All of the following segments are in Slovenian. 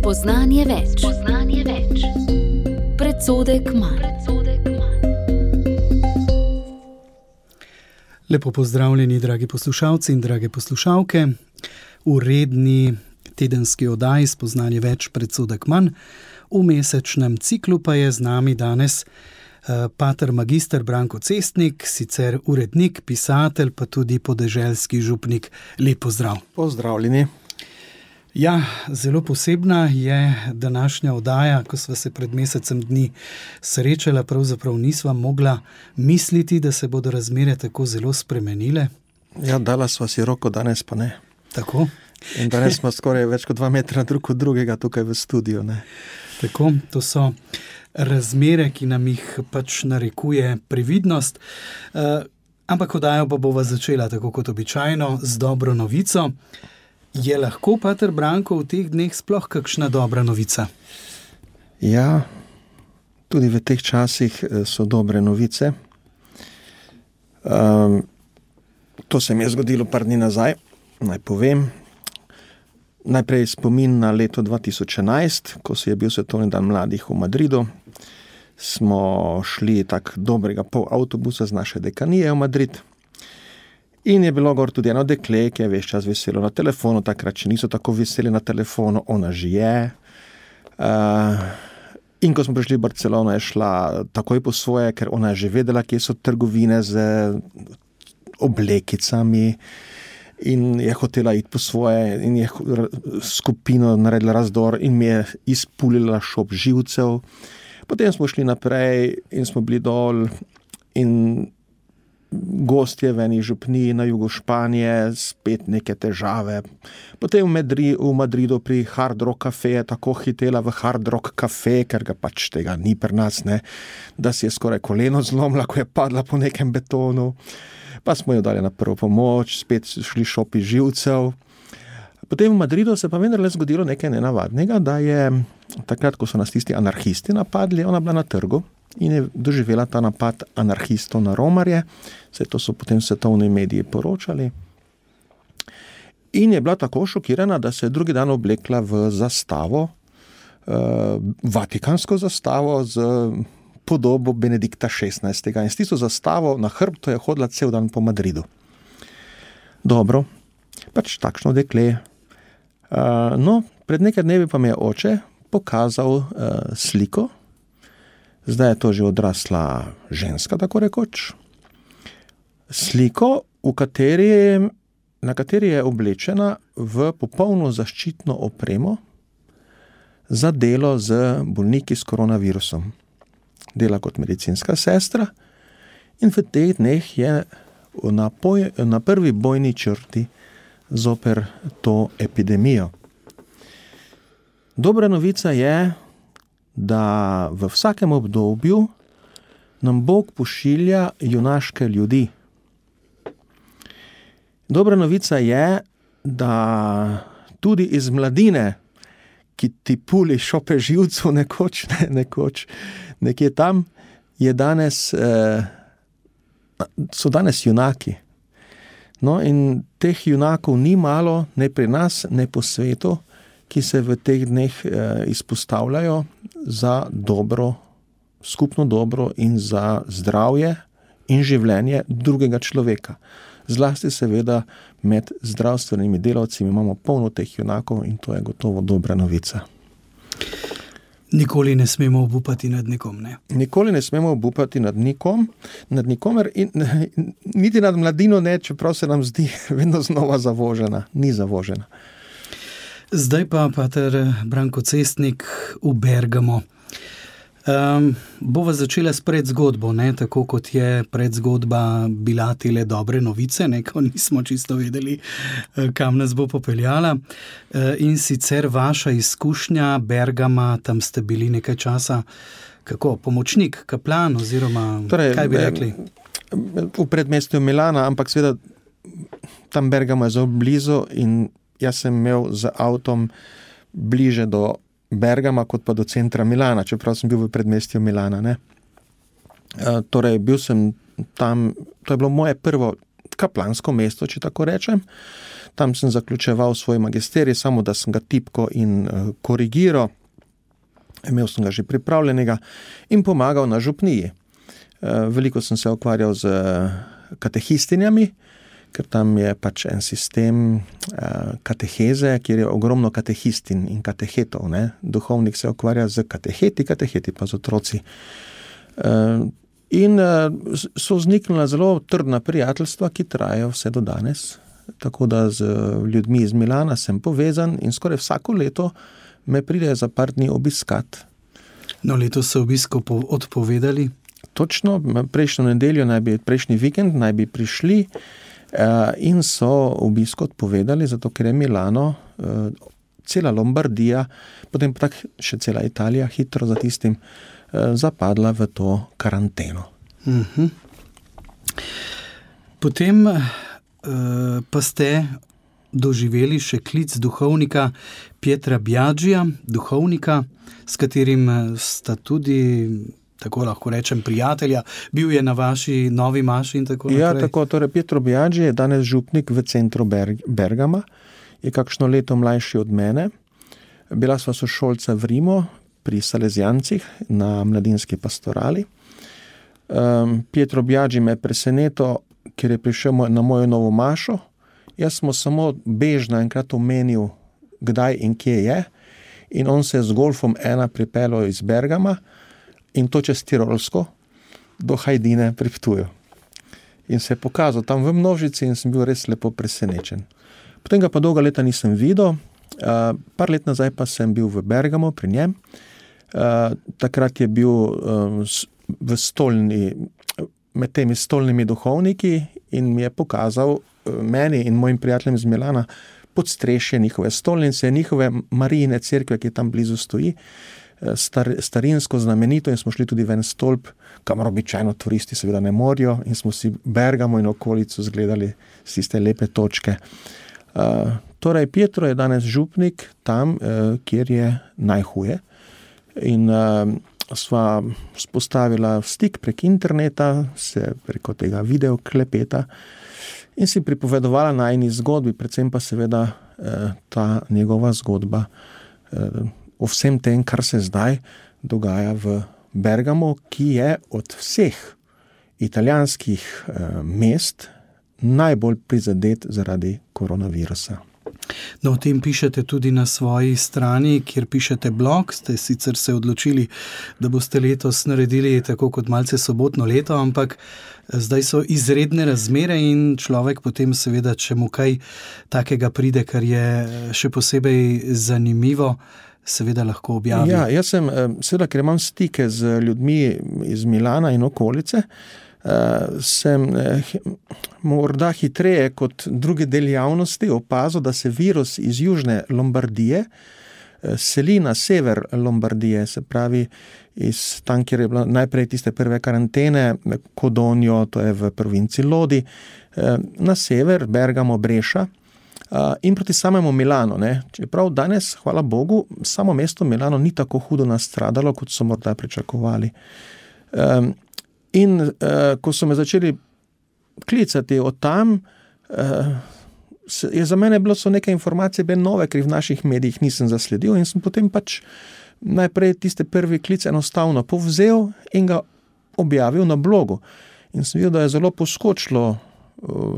Spoznanje več. Predsodek manj. Lepo pozdravljeni, dragi poslušalci in drage poslušalke. V redni tedenski oddaji Spoznanje več, predsodek manj. V mesečnem ciklu pa je z nami danes pater magister Branko Cestnik, sicer urednik, pisatelj, pa tudi podeželski župnik. Lep pozdrav. Pozdravljeni. Ja, zelo posebna je današnja oddaja, ko sva se pred mesecem dni srečala, pravzaprav nisva mogla misliti, da se bodo razmere tako zelo spremenile. Ja, dala sva si roko, danes pa ne. Tako. In danes smo skoraj več kot 2 metra drug od drugega tukaj v studiu, ne. Tako, to so razmere, ki nam jih pač narekuje previdnost. Ampak oddajo pa bova začela tako kot običajno z dobro novico. Je lahko, pater Branko, v teh dneh sploh kakšna dobra novica? Ja, tudi v teh časih so dobre novice. To se mi je zgodilo par dni nazaj, naj povem. Najprej spomin na leto 2011, ko se je bil svetovni dan mladih v Madridu. Smo šli tak dobrega pol avtobusa z naše dekanije v Madrid. In je bilo gor tudi eno dekle, ki je ves čas veselo na telefonu, takrat še niso tako veseli na telefonu, ona že je. In ko smo prišli v Barcelono, je šla takoj po svoje, ker ona je že vedela, kje so trgovine z oblekicami in je hotela iti po svoje in je skupino naredila razdor in mi je izpulila šop živcev. Potem smo šli naprej in smo bili dol in gostje v eni župniji na jugu Španije, spet neke težave. Potem v Madridu pri Hard Rock Cafe je tako hitela v Hard Rock Cafe, ker ga pač tega ni pri nas, ne, da si je skoraj koleno zlomila, ko je padla po nekem betonu. Pa smo jo dali na prvo pomoč, spet šli šopi živcev. Potem v Madridu se pa vendarle zgodilo nekaj nenavadnega, da je takrat, ko so nas tisti anarhisti napadli, ona bila na trgu in je doživela ta napad anarhistov na romarje. Vse to so potem svetovni mediji poročali. In je bila tako šokirana, da se je drugi dan oblekla v zastavo, vatikansko zastavo z podobo Benedikta XVI. In s tisto zastavo na hrbtu je hodila cel dan po Madridu. Dobro, pač takšno dekle. No, pred nekaj dnevi pa mi je oče pokazal sliko. Zdaj je to že odrasla ženska, tako rekoč. Sliko, na kateri je oblečena v popolno zaščitno opremo za delo z bolniki s koronavirusom. Dela kot medicinska sestra in v teh dneh je na prvi bojni črti zoper to epidemijo. Dobra novica je, da v vsakem obdobju nam Bog pošilja junaške ljudi. Dobra novica je, da tudi iz mladine, ki ti puli šope živcev nekoč, nekje tam, so danes junaki. No, in teh junakov ni malo, ne pri nas, ne po svetu, ki se v teh dneh izpostavljajo za dobro, skupno dobro in za zdravje in življenje drugega človeka. Zlasti seveda med zdravstvenimi delavci imamo polno teh junakov in to je gotovo dobra novica. Nikoli ne smemo obupati nad nikom, ne? Nikoli ne smemo obupati nad nikomer in niti nad mladino ne, čeprav se nam zdi vedno znova zavožena. Ni zavožena. Zdaj pa, pater Branko Cestnik, v Bergamo. Bova začela s predzgodbo, ne? Tako kot je predzgodba bila tele dobre novice, ne? Ko nismo čisto vedeli, kam nas bo popeljala. In sicer vaša izkušnja Bergama, tam ste bili nekaj časa, kako, pomočnik, kaplan oziroma kaj bi rekli? V predmestju Milana, ampak seveda tam Bergamo je zelo blizu in jaz sem imel z avtom bliže do Bergama kot pa do centra Milana, čeprav sem bil v predmestju Milana, ne. Torej, bil sem tam, to je bilo moje prvo kaplansko mesto, če tako rečem. Tam sem zaključeval svoj magisterij, samo da sem ga tipko in korigiral. Imel sem ga že pripravljenega in pomagal na župniji. Veliko sem se ukvarjal z katehistinjami, ker tam je pač en sistem kateheze, kjer je ogromno katehistin in katehetov. Ne? Duhovnik se ukvarja z kateheti pa z otroci. In so vzniknila zelo trdna prijateljstva, ki trajajo vse do danes. Tako da z ljudmi iz Milana sem povezan in skoraj vsako leto me pridejo za par dni obiskat. No, letos so obisko odpovedali? Točno, prejšnji vikend naj bi prišli in so obisko odpovedali, zato ker je Milano, cela Lombardija, potem pa tak še cela Italija hitro za tistim zapadla v to karanteno. Potem pa ste doživeli še klic duhovnika Pietra Biagija, duhovnika, s katerim sta tudi, tako lahko rečem, prijatelja. Bil je na vaši novi maši in tako naprej. Ja, tako, torej Pietro Biagi je danes župnik v centru Bergama, je kakšno leto mlajši od mene. Bila sva sošolca v Rimu pri Salezijancih na mladinski pastorali. Pietro Biagi me je presenetil, ker je prišel na mojo novo mašo. Jaz smo samo bežno enkrat omenil, kdaj in kje je, in on se je z golfom pripeljal iz Bergama in to čez Tirolsko do Hajdine pri Ptuju. In se je pokazal tam v množici in sem bil res lepo presenečen. Potem ga pa dolga leta nisem videl, par let nazaj pa sem bil v Bergamu pri njem. Takrat je bil v stolni, med temi stolnimi duhovniki in mi je pokazal meni in mojim prijateljem iz Milana podstrešje njihove stolnice, njihove Marijine cerkve, ki tam blizu stoji, starinsko, znamenito, in smo šli tudi v en stolp, kamor običajno turisti seveda ne morijo, in smo si Bergamo in okolico zgledali z tiste lepe točke. Torej, Pietro je danes župnik tam, kjer je najhuje, in sva spostavila stik prek interneta, se preko tega video klepeta, in si pripovedovala najini zgodbi, predvsem pa seveda ta njegova zgodba o vsem tem, kar se zdaj dogaja v Bergamu, ki je od vseh italijanskih mest najbolj prizadet zaradi koronavirusa. No, o tem pišete tudi na svoji strani, kjer pišete blog. Ste sicer se odločili, da boste letos naredili tako kot malce sobotno leto, ampak zdaj so izredne razmere in človek potem seveda, če mu kaj takega pride, kar je še posebej zanimivo, seveda lahko objavi. Ja, jaz sem, seveda, ker imam stike z ljudmi iz Milana in okolice, sem morda hitreje kot druge del javnosti opazil, da se virus iz južne Lombardije seli na sever Lombardije, se pravi iz tam, kjer je bila najprej tiste prve karantene, Codogno, to je v provinci Lodi, na sever, Bergamo, Breša, in proti samemu Milano. Ne. Čeprav danes, hvala Bogu, samo mesto Milano ni tako hudo nastradalo, kot so morda pričakovali. In ko so me začeli klicati od tam, je za mene bilo so neke informacije ben nove, ker v naših medijih nisem zasledil, in sem potem pač najprej tiste prvi klic enostavno povzel in ga objavil na blogu. In sem videl, da je zelo poskočilo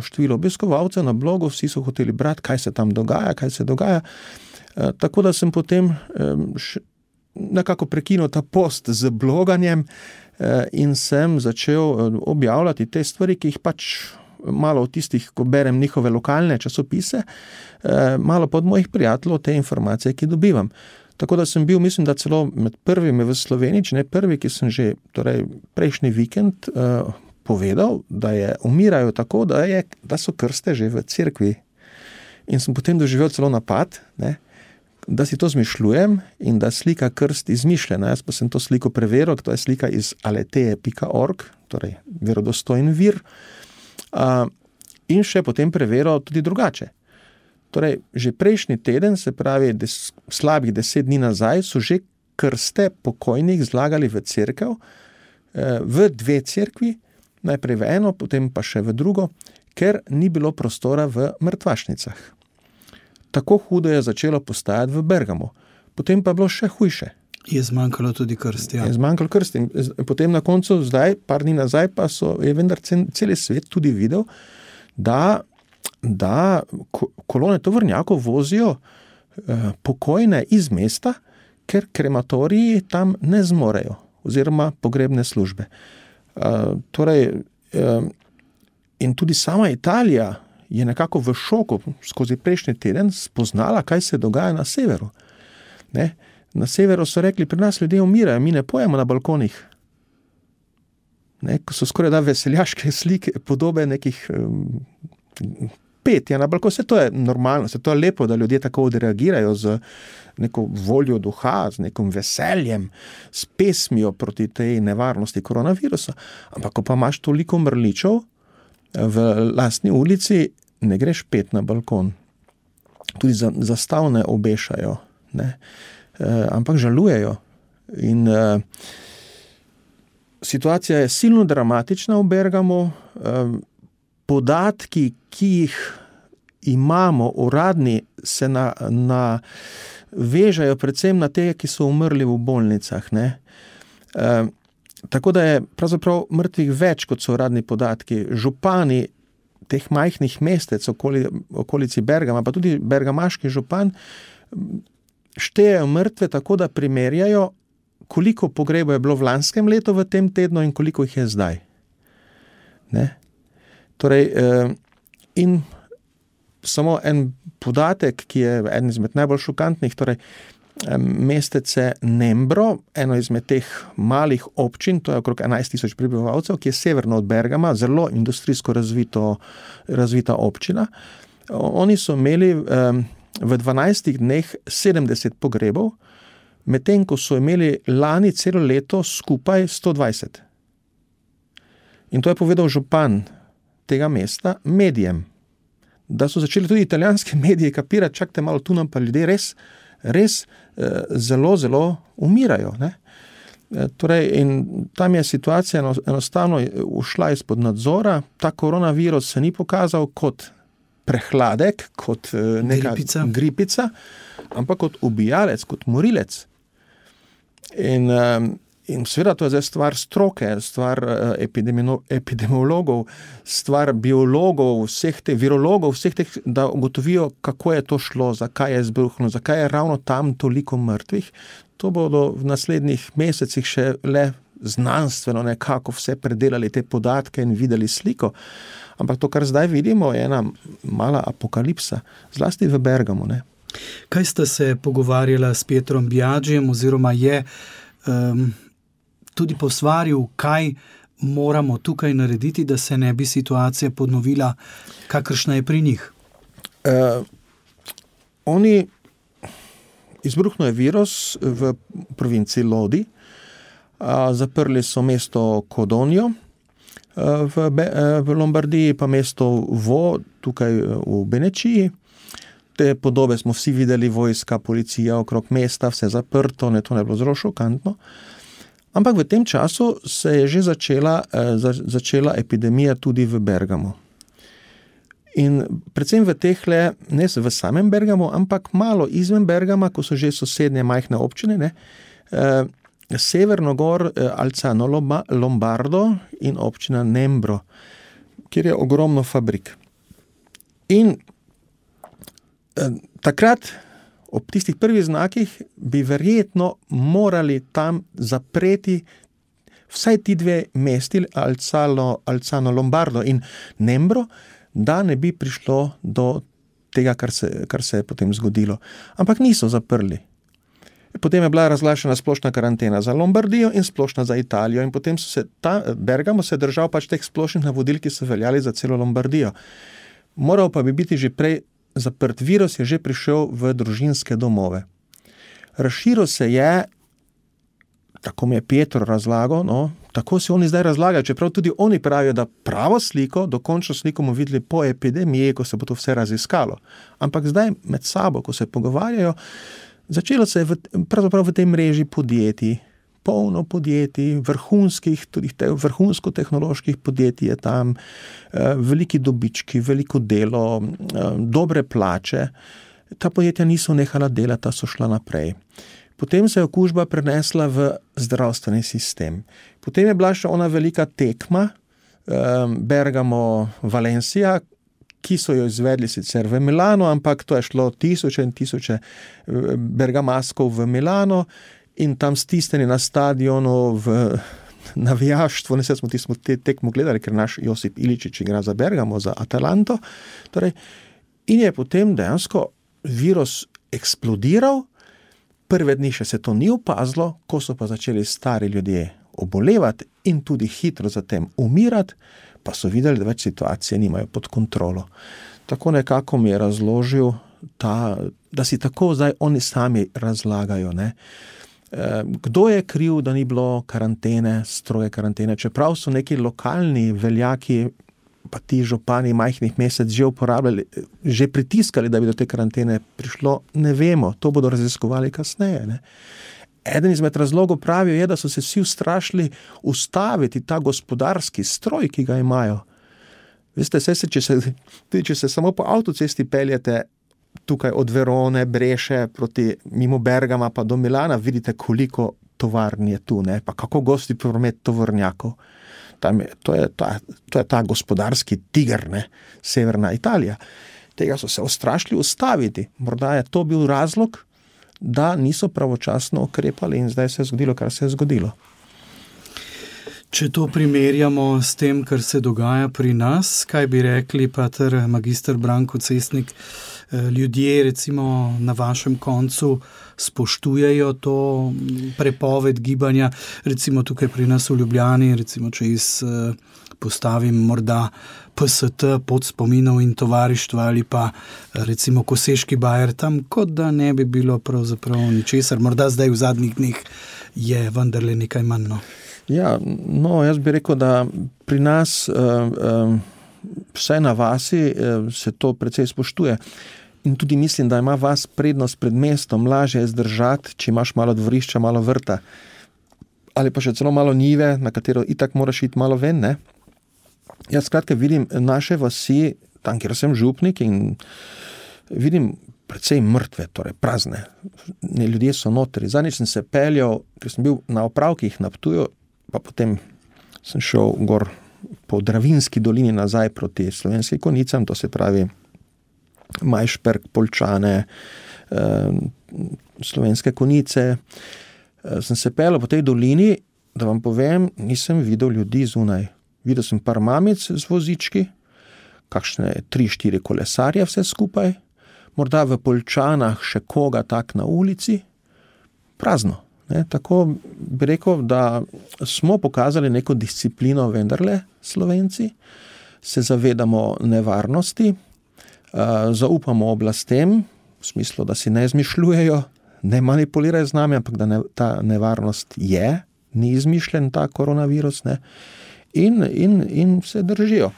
število obiskovalcev na blogu, vsi so hoteli brati, kaj se tam dogaja, tako da sem potem nekako prekinil ta post z bloganjem in sem začel objavljati te stvari, ki jih pač malo od tistih, ko berem njihove lokalne časopise, malo pod mojih prijateljev te informacije, ki dobivam. Tako da sem bil, mislim, da celo med prvimi v Sloveniji, če ne prvi, ki sem že prejšnji vikend povedal, da umirajo tako, da so krste že v cerkvi. In sem potem doživel celo napad, ne, da si to zmišljujem in da slika krst izmišljena. Jaz pa sem to sliko preveril, to je slika iz aleteje.org, torej verodostojen vir, in še potem preveril tudi drugače. Torej, že prejšnji teden, se pravi slabih 10 dni nazaj, so že krste pokojnih zlagali v cerkev, v 2 cerkvi, najprej v eno, potem pa še v drugo, ker ni bilo prostora v mrtvašnicah. Tako hudo je začelo postajati v Bergamu. Potem pa je bilo še hujše. Je zmanjkalo tudi krst, ja. Je zmanjkalo krst. In potem na koncu, zdaj, par dni nazaj, pa je vendar celi svet tudi videl, da kolone tovornjakov vozijo pokojne iz mesta, ker krematoriji tam ne zmorejo, oziroma pogrebne službe. In tudi sama Italija je nekako v šoku skozi prejšnji teden spoznala, kaj se dogaja na severu. Ne? Na severu so rekli, pri nas ljudje umirajo, mi ne pojemo na balkonih. Ne? Ko so skoraj da veseljaške slike, podobe nekih petja na balkon. Vse to je normalno, vse to je lepo, da ljudje tako odreagirajo z neko voljo duha, z nekim veseljem, s pesmijo proti tej nevarnosti koronavirusa. Ampak ko pa imaš toliko mrličev v lastni ulici, ne greš pet na balkon. Tudi zastavne obešajo, ne? Ampak žalujejo. In situacija je silno dramatična v Bergamu. Podatki, ki jih imamo, uradni, se vežajo predvsem na te, ki so umrli v bolnicah. Ne? Tako da je pravzaprav mrtvih več, kot so uradni podatki. Župani teh majhnih mestec okolici Bergama, pa tudi bergamaški župan, štejejo mrtve tako, da primerjajo, koliko pogrebov je bilo v lanskem letu v tem tednu in koliko jih je zdaj. Ne? Torej, in samo en podatek, ki je eden izmed najbolj šokantnih, torej mestece Nembro, eno izmed teh malih občin, to je okrog 11,000 prebivalcev, ki je severno od Bergama, zelo industrijsko razvita občina. Oni so imeli v 12 dneh 70 pogrebov, medtem ko so imeli lani celo leto skupaj 120. In to je povedal župan tega mesta medijem, da so začeli tudi italijanski mediji kapirati, čakajte malo, tu nam pa ljudje res zelo, zelo umirajo. Ne? Torej, in tam je situacija enostavno ušla izpod nadzora, ta koronavirus se ni pokazal kot prehladek, kot neka gripica, ampak kot ubijalec, kot morilec. In seveda to je zdaj stvar stroke, stvar epidemiologov, stvar biologov, vseh teh virologov, vseh teh, da ugotovijo, kako je to šlo, zakaj je izbruhnilo, zakaj je ravno tam toliko mrtvih. To bodo v naslednjih mesecih še le znanstveno nekako vse predelali te podatke in videli sliko. Ampak to, kar zdaj vidimo, je ena mala apokalipsa, zlasti v Bergamu. Ne? Kaj ste se pogovarjala s Pietrom Biagijem, oziroma je tudi posvaril, kaj moramo tukaj narediti, da se ne bi situacija ponovila, kakršna je pri njih? Izbruhnil je virus v provinci Lodi, zaprli so mesto Codogno, v Lombardiji pa mesto Vo, tukaj v Benečiji. Te podobe smo vsi videli, vojska, policija okrog mesta, vse zaprto, to ne bilo zelo šokantno. Ampak v tem času se je že začela epidemija tudi v Bergamu. In predvsem v tehle, ne v samem Bergamu, ampak malo izven Bergama, ko so že sosednje majhne občine, ne, severno gor Alzano Lombardo in občina Nembro, kjer je ogromno fabrik. In takrat, ob tistih prvih znakih, bi verjetno morali tam zapreti vsaj ti dve mesti, Alzano Lombardo in Nembro, da ne bi prišlo do tega, kar se je potem zgodilo. Ampak niso zaprli. Potem je bila razglašena splošna karantena za Lombardijo in splošna za Italijo in potem Bergamo se je držal pač teh splošnih navodil, ki so veljali za celo Lombardijo. Moral pa bi biti že prej zaprt. Virus je že prišel v družinske domove. Razširil se je, tako mi je Pietro razlagal, tako si oni zdaj razlagajo, čeprav tudi oni pravijo, da pravo sliko, dokončno sliko bomo videli po epidemiji, ko se bo to vse raziskalo. Ampak zdaj med sabo, ko se pogovarjajo, začelo se je pravzaprav v tej mreži podjetij, polno podjetij, vrhunskih, tudi vrhunsko-tehnoloških podjetij je tam, veliki dobički, veliko delo, dobre plače. Ta podjetja niso nehala delati, so šla naprej. Potem se je okužba prenesla v zdravstveni sistem. Potem je bila še ona velika tekma, Bergamo-Valencia, ki so jo izvedli sicer v Milano, ampak to je šlo tisoče in tisoče bergamaskov v Milano in tam stisnjeni na stadionu v navijaštvo. Smo te tekmo gledali, ker naš Josip Iličić igra za Bergamo, za Atalanto. Torej, in je potem dejansko virus eksplodiral. Prve dni še se to ni opazilo, ko so pa začeli stari ljudje obolevati in tudi hitro zatem umirati, pa so videli, da več situacije nimajo pod kontrolo. Tako nekako mi je razložil, da si tako zdaj oni sami razlagajo. Ne? Kdo je kriv, da ni bilo karantene, stroge karantene, čeprav so neki lokalni veljaki, pa ti župani majhnih mesec že uporabljali, že pritiskali, da bi do te karantene prišlo, ne vemo, to bodo raziskovali kasneje. Ne? Eden izmed razlogov pravijo je, da so se vsi ustrašili ustaviti ta gospodarski stroj, ki ga imajo. Veste, če se samo po avtocesti peljete tukaj od Verone, Breše, mimo Bergama pa do Milana, vidite, koliko tovarn je tu, ne? Pa kako gosti promet tovornjakov. To je ta gospodarski tiger, ne? Severna Italija. Tega so se ustrašili ustaviti. Morda je to bil razlog, da niso pravočasno ukrepali in zdaj se je zgodilo, kar se je zgodilo. Če to primerjamo s tem, kar se dogaja pri nas, kaj bi rekli, pater magister Branko Cestnik, ljudje recimo na vašem koncu spoštujejo to prepoved gibanja, recimo tukaj pri nas v Ljubljani, recimo če postavim morda PST pod spominov in tovarištva ali pa recimo Koseški bajer tam, kot da ne bi bilo pravzaprav ničesar, morda zdaj v zadnjih dneh je vendarle nekaj manj. Ja, jaz bi rekel, da pri nas vsaj na vasi se to precej spoštuje. In tudi mislim, da ima vas prednost pred mestom, lažje je zdržati, če imaš malo dvorišča, malo vrta. Ali pa še celo malo njive, na katero itak moraš iti malo ven, ne? Jaz skratka vidim naše vasi, tam, kjer sem župnik, in vidim precej mrtve, torej prazne. Ljudje so notri. Zadnjič sem se peljal, ker sem bil na opravkih na Ptuju, pa potem sem šel gor po Dravinski dolini nazaj proti Slovenskih Konjicam, to se pravi Majšperk, Poljčane, Slovenske Konjice. Sem se peljal po tej dolini, da vam povem, nisem videl ljudi zunaj. Videl sem par mamic z vozički, kakšne 3-4 kolesarje vse skupaj, morda v Poljčanah še koga tak na ulici, prazno. Ne? Tako bi rekel, da smo pokazali neko disciplino vendarle, Slovenci, se zavedamo nevarnosti, zaupamo oblastem, v smislu, da si ne izmišljujejo, ne manipulirajo z nami, ampak da ta nevarnost je, ni izmišljen ta koronavirus, ne? In se držijo.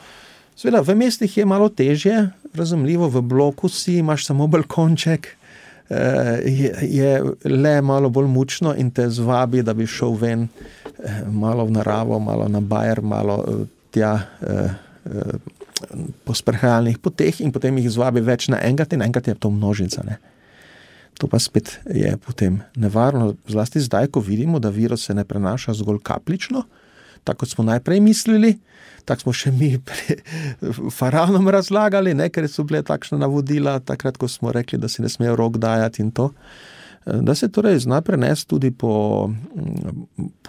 Seveda, v mestih je malo težje, razumljivo, v bloku si imaš samo balkonček, je le malo bolj mučno in te zvabi, da bi šel ven malo v naravo, malo na bajer, malo tja po sprehajalnih poteh in potem jih zvabi več naenkrat in enkrat je to množica. Ne? To pa spet je potem nevarno, zlasti zdaj, ko vidimo, da virus se ne prenaša zgolj kapljično, tako kot smo najprej mislili, tako smo še mi faraonom razlagali, ne, ker so bile takšna navodila, takrat, ko smo rekli, da si ne smejo rok dajati in to, da se torej zna prenesti tudi po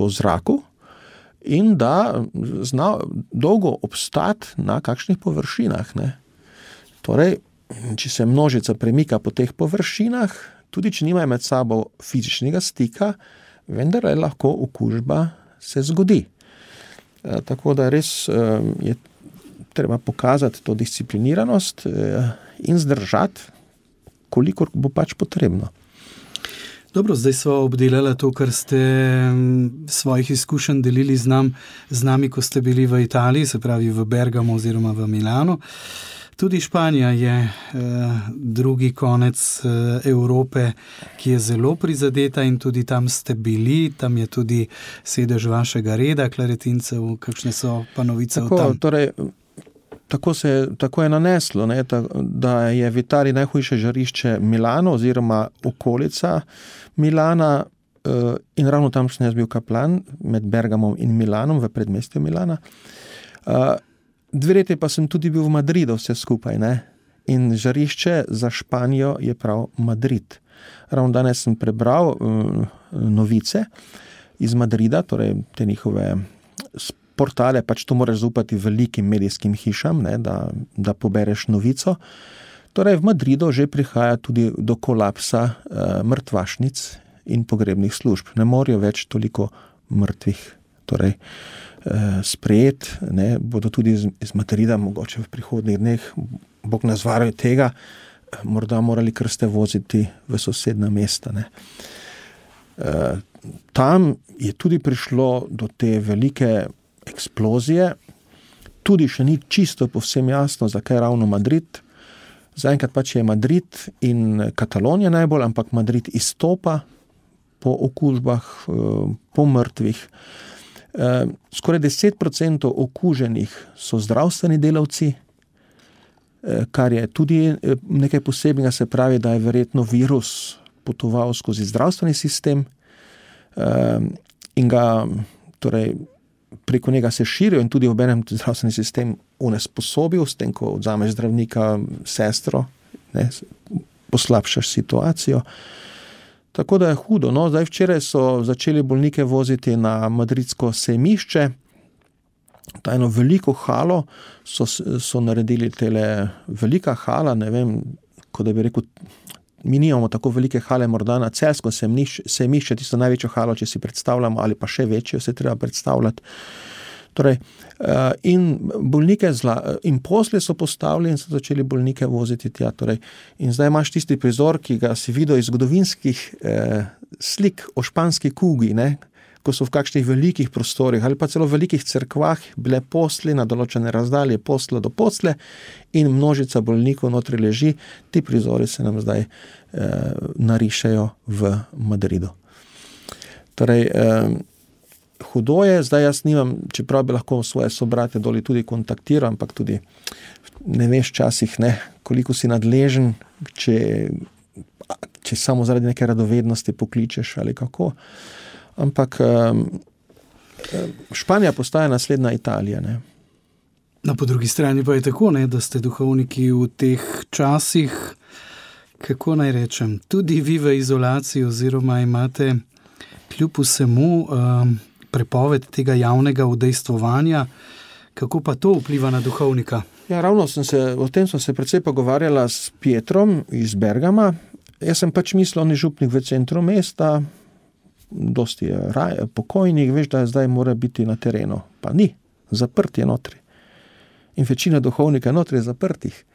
zraku in da zna dolgo obstati na kakšnih površinah. Ne. Torej, če se množica premika po teh površinah, tudi če nimajo med sabo fizičnega stika, vendar lahko okužba se zgodi. Tako da res je treba pokazati to discipliniranost in zdržati, kolikor bo pač potrebno. Dobro, zdaj smo obdelali to, kar ste svojih izkušenj delili z nami, ko ste bili v Italiji, se pravi v Bergamo oziroma v Milano. Tudi Španija je drugi konec Evrope, ki je zelo prizadeta in tudi tam ste bili, tam je tudi sedež vašega reda, Klaretincev, kakšne so pa novice o tam? Torej, tako je naneslo, ne, da je v Italiji najhujše žarišče Milano oziroma okolica Milana in ravno tam sem jaz bil kaplan med Bergamom in Milanom v predmestju Milana. 2 leti pa sem tudi bil v Madridu vse skupaj, ne? In žarišče za Španijo je prav Madrid. Ravno danes sem prebral novice iz Madrida, torej te njihove portale, pač to moraš zaupati velikim medijskim hišam, ne, da pobereš novico. Torej v Madridu že prihaja tudi do kolapsa mrtvašnic in pogrebnih služb. Ne morajo več toliko mrtvih torej sprejet, ne, bodo tudi iz Madrida mogoče v prihodnjih dneh, Bog nas varuje tega, morda morali krste voziti v sosedna mesta, ne. Tam je tudi prišlo do te velike eksplozije, tudi še ni čisto povsem jasno, zakaj ravno Madrid. Zaenkrat pač je Madrid in Katalonija najbolj, ampak Madrid izstopa po okužbah, po mrtvih. Skoraj 10% okuženih so zdravstveni delavci, kar je tudi nekaj posebnega, se pravi, da je verjetno virus potoval skozi zdravstveni sistem in ga torej preko njega se širijo in tudi obenem zdravstveni sistem onesposobil, s tem, ko odzameš zdravnika, sestro, ne, poslabšaš situacijo. Tako da je hudo. No, zdaj včeraj so začeli bolnike voziti na madridsko sejmišče. Ta eno veliko halo so naredili tele velika hala, ne vem, kot da bi rekel, mi nimamo tako velike hale, morda na Celjsko sejmišče, tisto največjo halo, če si predstavljamo, ali pa še večjo se treba predstavljati. Torej, in bolnike in posle so postavili in so začeli bolnike voziti tja. Torej, in zdaj imaš tisti prizor, ki ga si videl iz zgodovinskih slik o španski kugi, ne, ko so v kakšnih velikih prostorih ali pa celo v velikih cerkvah bile posle na določene razdalje, posle do posle in množica bolnikov notri leži. Ti prizori se nam zdaj narišajo v Madridu. Torej, hudo je, zdaj jaz nimam, čeprav bi lahko svoje sobrate doli tudi kontaktiral, ampak tudi ne veš časih, ne, koliko si nadležen, če samo zaradi neke radovednosti pokličeš ali kako. Ampak Španija postaja naslednja Italija, ne. No, po drugi strani pa je tako, ne, da ste duhovniki v teh časih, kako naj rečem, tudi vi v izolaciji oziroma imate kljub vsemu prepoved tega javnega udejstvovanja. Kako pa to vpliva na duhovnika? Ja, ravno o tem sem se precej pogovarjala s Pietrom iz Bergama. Jaz sem pač mislil, on je župnik v centru mesta, dosti je pokojnih, veš, da zdaj mora biti na terenu. Pa ni, zaprt je notri. In večina duhovnika notri je zaprtih.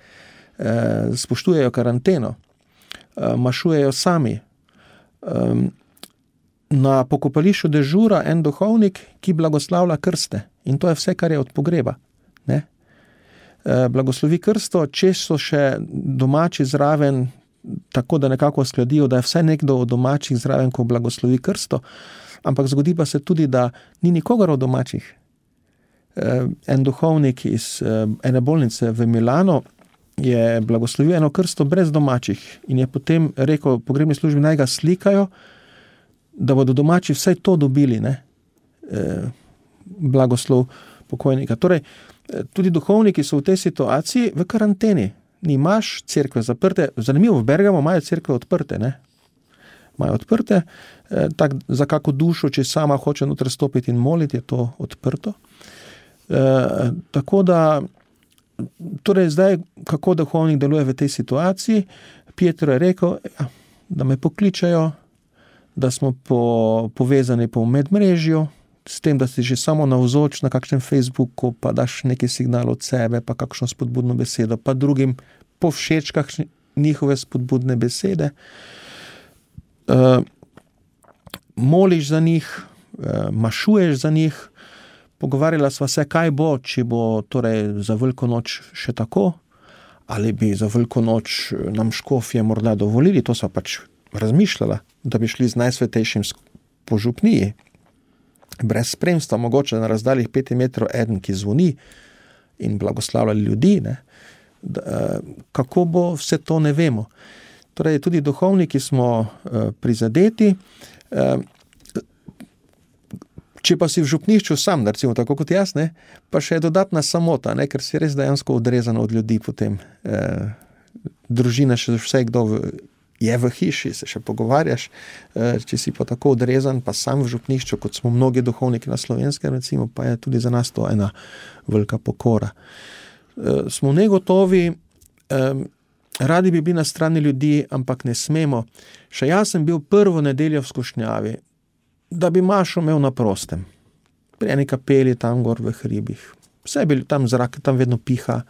Spoštujejo karanteno, mašujejo sami. Na pokopališču dežura en duhovnik, ki blagoslavlja krste. In to je vse, kar je od pogreba. Ne? Blagoslovi krsto, če so še domači zraven, tako da nekako skladijo, da je vse nekdo od domačih zraven, ko blagoslovi krsto, ampak zgodi pa se tudi, da ni nikogar od domačih. En duhovnik iz ene bolnice v Milano je blagoslovil eno krsto brez domačih in je potem rekel pogrebni službi, naj ga slikajo, da bodo domači vsaj to dobili, ne? Blagoslov pokojnika. Torej, tudi duhovniki so v tej situaciji v karanteni. Nimaš cerkve zaprte, zanimivo, v Bergamo imajo cerkve odprte, ne? Imajo odprte, tak za kako dušo, če sama hoče noter stopiti in moliti, je to odprto. Tako da, torej zdaj, kako duhovnik deluje v tej situaciji, Pietro je rekel, da me pokličajo, da smo povezani po medmrežju, s tem, da si že samo navzoč na kakšnem Facebooku, pa daš neki signal od sebe, pa kakšno spodbudno besedo, pa drugim povšečkah njihove spodbudne besede. Moliš za njih, mašuješ za njih, pogovarjala sva se, kaj bo, če bo torej za Veliko noč še tako, ali bi za veliko noč nam škofje morda dovolili, to sva pač razmišljala, da bi šli z Najsvetejšim po župniji, brez spremstva, mogoče na razdaljih 5 metrov eden, ki zvoni in blagoslavljali ljudi, ne. Kako bo vse to, ne vemo. Torej, tudi duhovniki smo prizadeti. Če pa si v župnišču sam, recimo tako kot jaz, ne, pa še je dodatna samota, ne, ker si res dejansko odrezan od ljudi potem. Družina še vse, kdo je v hiši, se še pogovarjaš, če si pa tako odrezan, pa sam v župnišču, kot smo mnogi duhovniki na Slovenskem, recimo, pa je tudi za nas to ena velika pokora. Smo negotovi, radi bi bili na strani ljudi, ampak ne smemo. Še jaz sem bil prvo nedeljo v skušnjavi, da bi Mašo imel na prostem. Pri eni kapeli tam gor v hribih. Vse je bil tam zrak, tam vedno piha.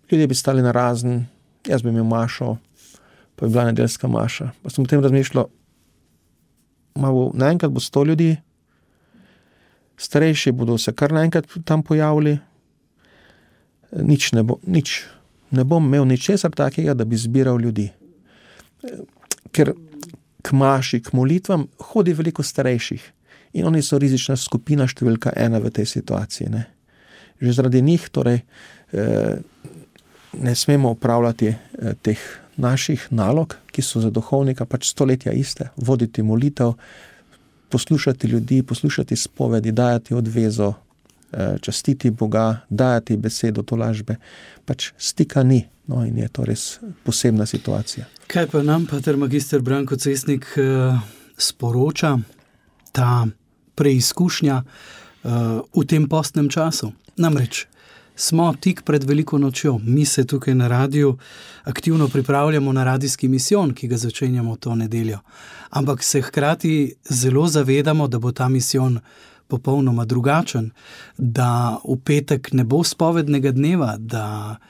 Ljudje bi stali na razen, jaz bi imel Mašo, pa bi bila nedeljska maša. Pa sem potem razmišljal, naenkrat bo 100 ljudi, starejši bodo se kar naenkrat tam pojavili, nič ne bo, nič. Ne bom imel ničesar takega, da bi zbiral ljudi. Ker k maši, k molitvam hodi veliko starejših in oni so rizična skupina številka 1 v tej situaciji. Ne. Že zaradi njih torej ne smemo upravljati teh naših nalog, ki so za duhovnika pač stoletja iste. Voditi molitev, poslušati ljudi, poslušati spovedi, dajati odvezo, častiti Boga, dajati besedo tolažbe. Pač stika ni. No, in je to res posebna situacija. Kaj pa nam, pater magister Branko Cesnik, sporoča ta preizkušnja v tem postnem času? Namreč smo tik pred veliko nočjo. Mi se tukaj na radiju aktivno pripravljamo na radijski misijon, ki ga začenjamo to nedeljo. Ampak se hkrati zelo zavedamo, da bo ta misijon popolnoma drugačen, da v petek ne bo spovednega dneva, da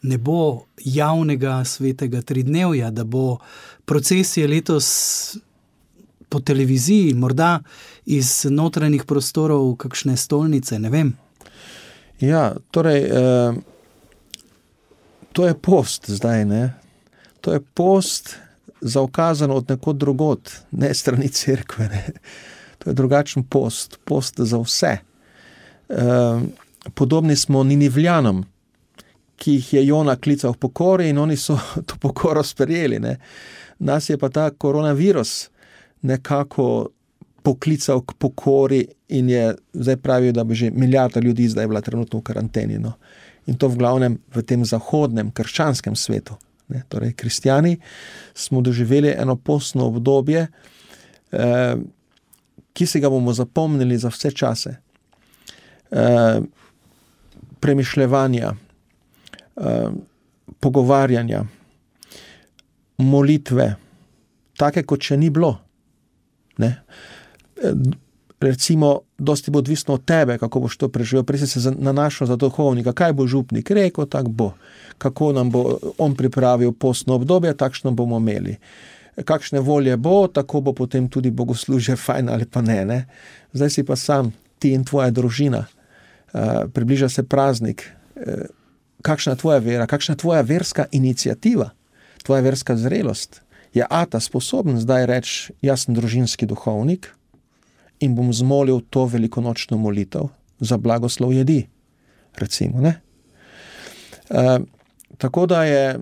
ne bo javnega svetega tridnevja, da bo procesija letos po televiziji, morda iz notranjih prostorov kakšne stolnice, ne vem. Ja, torej, to je post zdaj, ne? To je post zaukazan od nekod drugod, ne strani cerkve, ne? To je drugačen post za vse. Podobni smo Ninivljanom, ki jih je Jona klical v pokori in oni so to pokoro sprejeli. Ne? Nas je pa ta koronavirus nekako poklical k pokori in je zdaj pravijo, da bi že milijarda ljudi zdaj bila trenutno v karanteni. No? In to v glavnem v tem zahodnem, krščanskem svetu. Ne? Torej, kristjani smo doživeli eno postno obdobje, ki si ga bomo zapomnili za vse čase. Premišljevanja, pogovarjanja, molitve, take kot še ni bilo. Ne? Recimo, dosti bo odvisno od tebe, kako boš to preživel. Prej si se nanašal za duhovnika, kaj bo župnik rekel, tak bo. Kako nam bo on pripravil postno obdobje, takšno bomo imeli. Kakšne volje bo, tako bo potem tudi bogoslužje fajn ali pa ne. Zdaj si pa sam, ti in tvoja družina, približa se praznik. Kakšna je tvoja vera, kakšna je tvoja verska iniciativa, tvoja verska zrelost? Je ata sposoben zdaj reči, jaz sem družinski duhovnik in bom zmolil to velikonočno molitev za blagoslov jedi, recimo, ne? Tako da je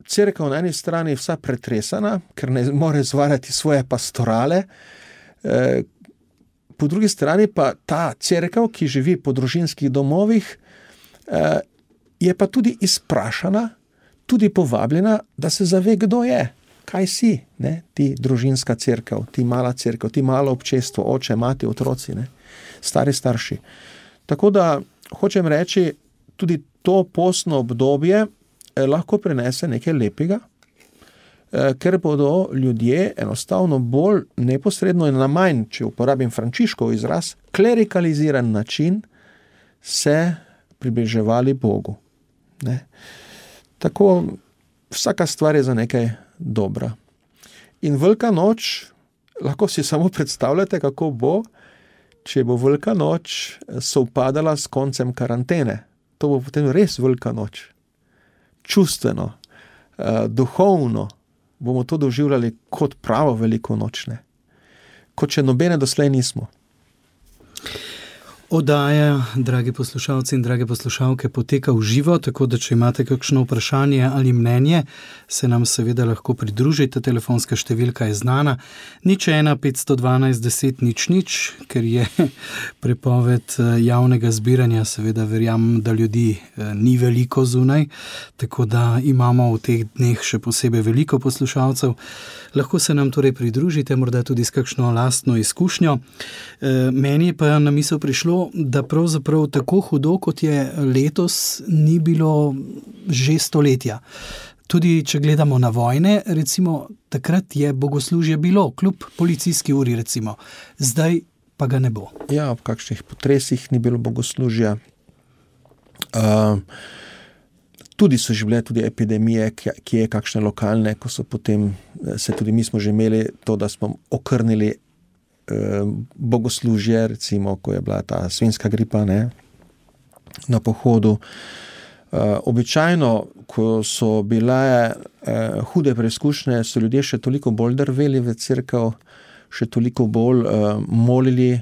cerkev na eni strani vsa pretresana, ker ne more izvajati svoje pastorale, po drugi strani pa ta cerkev, ki živi po družinskih domovih, je pa tudi izprašana, tudi povabljena, da se zave, kdo je, kaj si, ne? Ti družinska cerkev, ti mala cerkev, ti malo občestvo, oče, mati, otroci, ne? Stari starši. Tako da hočem reči, tudi to postno obdobje lahko prinese nekaj lepega, ker bodo ljudje enostavno bolj neposredno in na manj, če uporabim Frančiškov izraz, klerikaliziran način se približevali Bogu. Ne? Tako vsaka stvar je za nekaj dobra. In Velika noč, lahko si samo predstavljate, kako bo, če bo Velika noč sovpadala s koncem karantene. To bo potem res Velika noč. čustveno, duhovno, bomo to doživljali kot pravo veliko nočne, kot če nobene doslej nismo. Oddaja, dragi poslušalci in drage poslušalke, poteka v živo, tako da če imate kakšno vprašanje ali mnenje, se nam seveda lahko pridružite. Telefonska številka je znana 01 512 10 00, ker je prepoved javnega zbiranja, seveda verjamem, da ljudi ni veliko zunaj, tako da imamo v teh dneh še posebej veliko poslušalcev. Lahko se nam torej pridružite, morda tudi s kakšno lastno izkušnjo. Meni pa na misel prišlo, da pravzaprav tako hudo, kot je letos, ni bilo že stoletja. Tudi če gledamo na vojne, recimo, takrat je bogoslužje bilo, kljub policijski uri, recimo. Zdaj pa ga ne bo. Ja, ob kakšnih potresih ni bilo bogoslužja. Tudi so že bile tudi epidemije, ki je kakšne lokalne, ko so potem, mi smo že imeli to, da smo okrnili bogoslužje, recimo, ko je bila ta svinjska gripa, ne, na pohodu. Običajno, ko so bile hude preizkušnje, so ljudje še toliko bolj drveli v cerkev, še toliko bolj molili,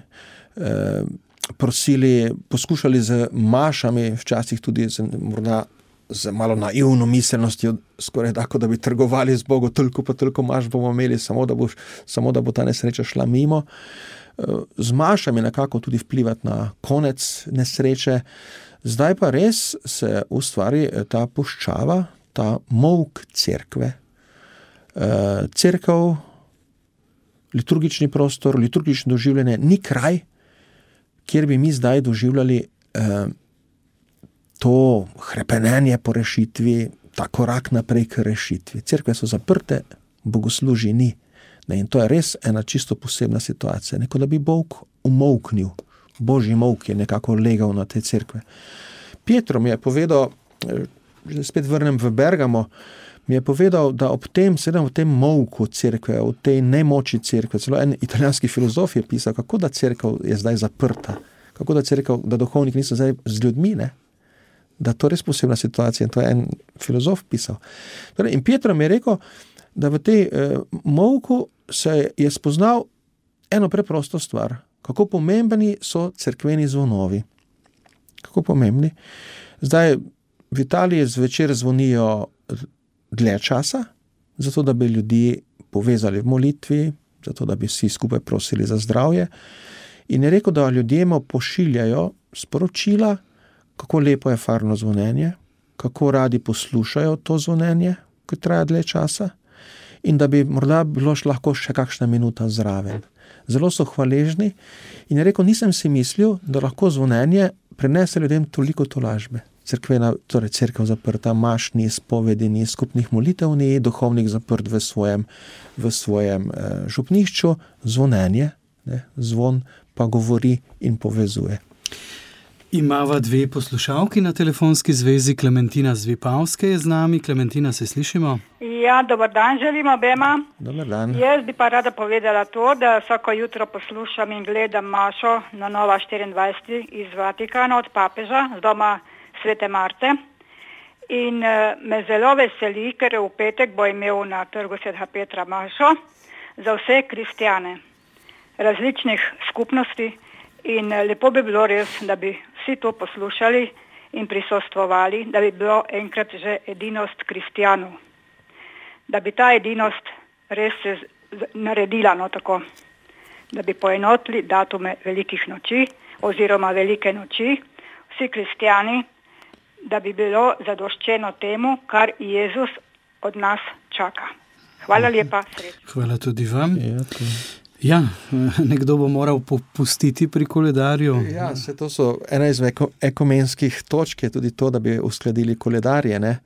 prosili, poskušali z mašami, včasih tudi morda z malo naivno miselnostjo, skoraj tako, da bi trgovali z Bogom, toliko maš bomo imeli, samo da bo ta nesreča šla mimo. Z mašami nekako tudi vplivati na konec nesreče. Zdaj pa res se ustvari ta puščava, ta molk cerkve. Cerkev, liturgični prostor, liturgično doživljanje ni kraj, kjer bi mi zdaj doživljali to hrepenenje po rešitvi, ta korak naprej k rešitvi. Cerkve so zaprte, bogoslužij ni. In to je res ena čisto posebna situacija. Neko da bi Bog umolknil. Božji molk je nekako legal na te cerkve. Pietro mi je povedal, spet vrnem v Bergamo, mi je povedal, da ob tem, v tem molku cerkve, v tej nemoči cerkve, celo en italijanski filozof je pisal, kako da cerkev je zdaj zaprta, kako da duhovniki niso zdaj z ljudmi, ne? Da to je res posebna situacija in to je en filozof pisal. In Pietro mi je rekel, da v tej molku se je spoznal eno preprosto stvar, kako pomembni so cerkveni zvonovi. Kako pomembni. Zdaj v Italiji zvečer zvonijo dlje časa, zato da bi ljudi povezali v molitvi, zato da bi vsi skupaj prosili za zdravje. In je rekel, da ljudem pošiljajo sporočila, kako lepo je farno zvonjenje, kako radi poslušajo to zvonjenje, ko traja dlje časa, in da bi morda bilo lahko še kakšna minuta zraven. Zelo so hvaležni in je rekel, nisem si mislil, da lahko zvonjenje prinese ljudem toliko tolažbe. Cerkev zaprta, maš ni, spovedi ni, skupnih molitev ni, duhovnik zaprt v svojem župnišču, zvonjenje, ne, zvon pa govori in povezuje. Imava dve poslušalki na telefonski zvezi. Klementina z Vipavske je z nami. Klementina, se slišimo? Ja, dober dan želim obema. Dober dan. Jaz bi pa rada povedala to, da vsako jutro poslušam in gledam mašo na Nova 24 iz Vatikana od papeža z doma Svete Marte. In me zelo veseli, ker v petek bo imel na trgu Svetega Petra mašo za vse kristjane različnih skupnosti. In lepo bi bilo res, da bi vsi to poslušali in prisostvovali, da bi bilo enkrat že edinost kristjanov. Da bi ta edinost res se naredila, no tako, da bi poenotili datume velikih noči oziroma velike noči, vsi kristjani, da bi bilo zadoščeno temu, kar Jezus od nas čaka. Hvala lepa, srečno. Hvala tudi vam. Ja, nekdo bo moral popustiti pri koledarju. Ja, to so ena izmed ekumenskih točk, je tudi to, da bi uskladili koledarje. Ne?